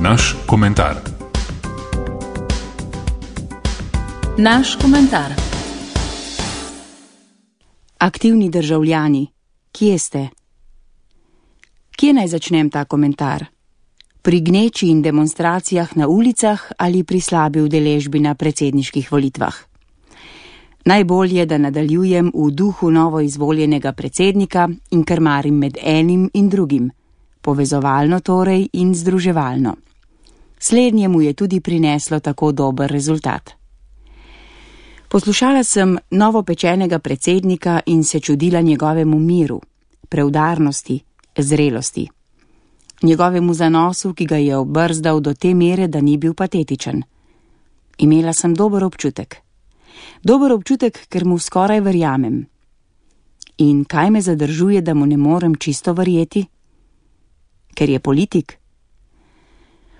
Naš komentar. Naš komentar. Aktivni državljani, kje ste? Kje naj začnem ta komentar? Pri gneči in demonstracijah na ulicah ali pri slabi udeležbi na predsedniških volitvah? Najbolje, da nadaljujem v duhu novoizvoljenega predsednika in krmarim med enim in drugim, povezovalno torej in združevalno. Slednje mu je tudi prineslo tako dober rezultat. Poslušala sem novopečenega predsednika in se čudila njegovemu miru, preudarnosti, zrelosti. Njegovemu zanosu, ki ga je obrzdal do te mere, da ni bil patetičen. Imela sem dober občutek. Dober občutek, ker mu skoraj verjamem. In kaj me zadržuje, da mu ne morem čisto verjeti? Ker je politik?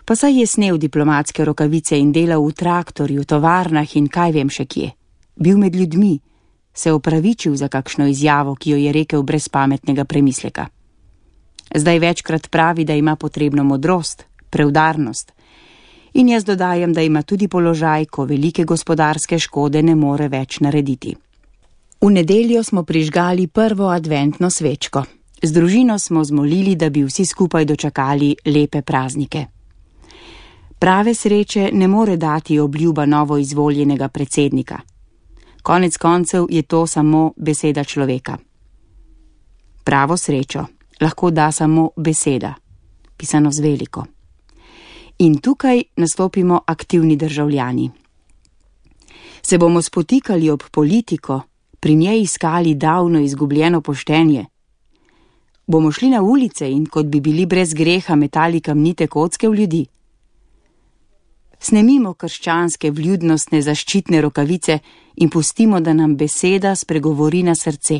Pa saj je snel diplomatske rokavice in delal v traktorju, tovarnah in kaj vem še kje. Bil med ljudmi, se opravičil za kakšno izjavo, ki jo je rekel brez pametnega premisleka. Zdaj večkrat pravi, da ima potrebno modrost, preudarnost. In jaz dodajam, da ima tudi položaj, ko velike gospodarske škode ne more več narediti. V nedeljo smo prižgali prvo adventno svečko. Z družino smo zmolili, da bi vsi skupaj dočakali lepe praznike. Prave sreče ne more dati obljuba novoizvoljenega predsednika. Konec koncev je to samo beseda človeka. Pravo srečo lahko da samo beseda, pisano z veliko. In tukaj nastopimo aktivni državljani. Se bomo spotikali ob politiko, pri njej iskali davno izgubljeno poštenje? Bomo šli na ulice in kot bi bili brez greha metali kamnite kocke v ljudi? Snemimo krščanske vljudnostne zaščitne rokavice in pustimo, da nam beseda spregovori na srce.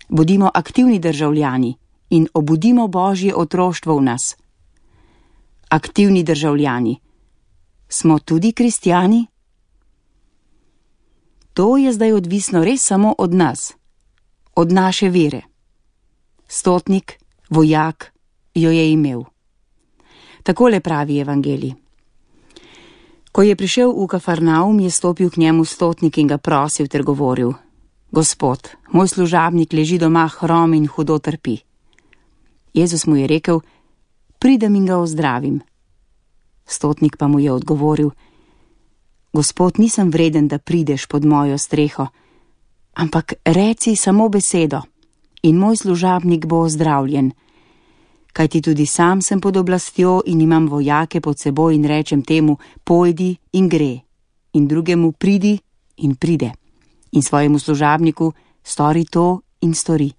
Bodimo aktivni državljani in obudimo Božje otroštvo v nas. Aktivni državljani. Smo tudi kristjani? To je zdaj odvisno res samo od nas, od naše vere. Stotnik, vojak, jo je imel. Takole pravi evangelij. Ko je prišel v Kafarnaum, je stopil k njemu stotnik in ga prosil ter govoril: Gospod, moj služabnik leži doma hrom in hudo trpi. Jezus mu je rekel: Pridem in ga ozdravim. Stotnik pa mu je odgovoril: Gospod, nisem vreden, da prideš pod mojo streho, ampak reci samo besedo in moj služabnik bo ozdravljen. Kajti tudi sam sem pod oblastjo in imam vojake pod seboj in rečem temu: pojdi in gre, in drugemu pridi in pride, in svojemu služabniku stori to in stori.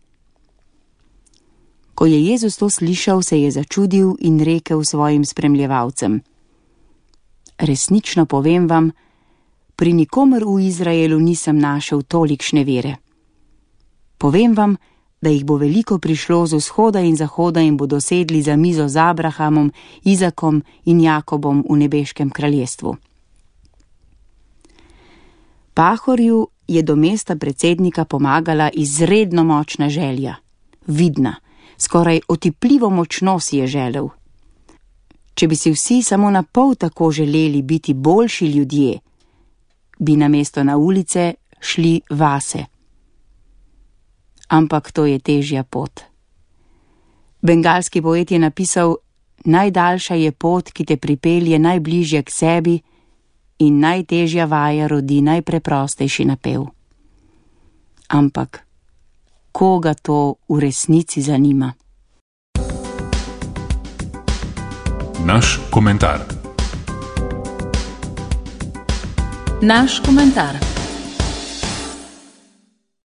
Ko je Jezus to slišal, se je začudil in rekel svojim spremljevalcem: Resnično povem vam, pri nikomer v Izraelu nisem našel tolikšne vere. Povem vam, da jih bo veliko prišlo z vzhoda in zahoda in bodo sedli za mizo z Abrahamom, Izakom in Jakobom v nebeškem kraljestvu. Pahorju je do mesta predsednika pomagala izredno močna želja, vidna, skoraj otipljivo močno si je želel. Če bi si vsi samo na pol tako želeli biti boljši ljudje, bi namesto na ulice šli vase. Ampak to je težja pot. Bengalski poet je napisal: najdaljša je pot, ki te pripelje najbližje k sebi, in najtežja vaja rodi najpreprostejši napev. Ampak koga to v resnici zanima? Naš komentar. Naš komentar.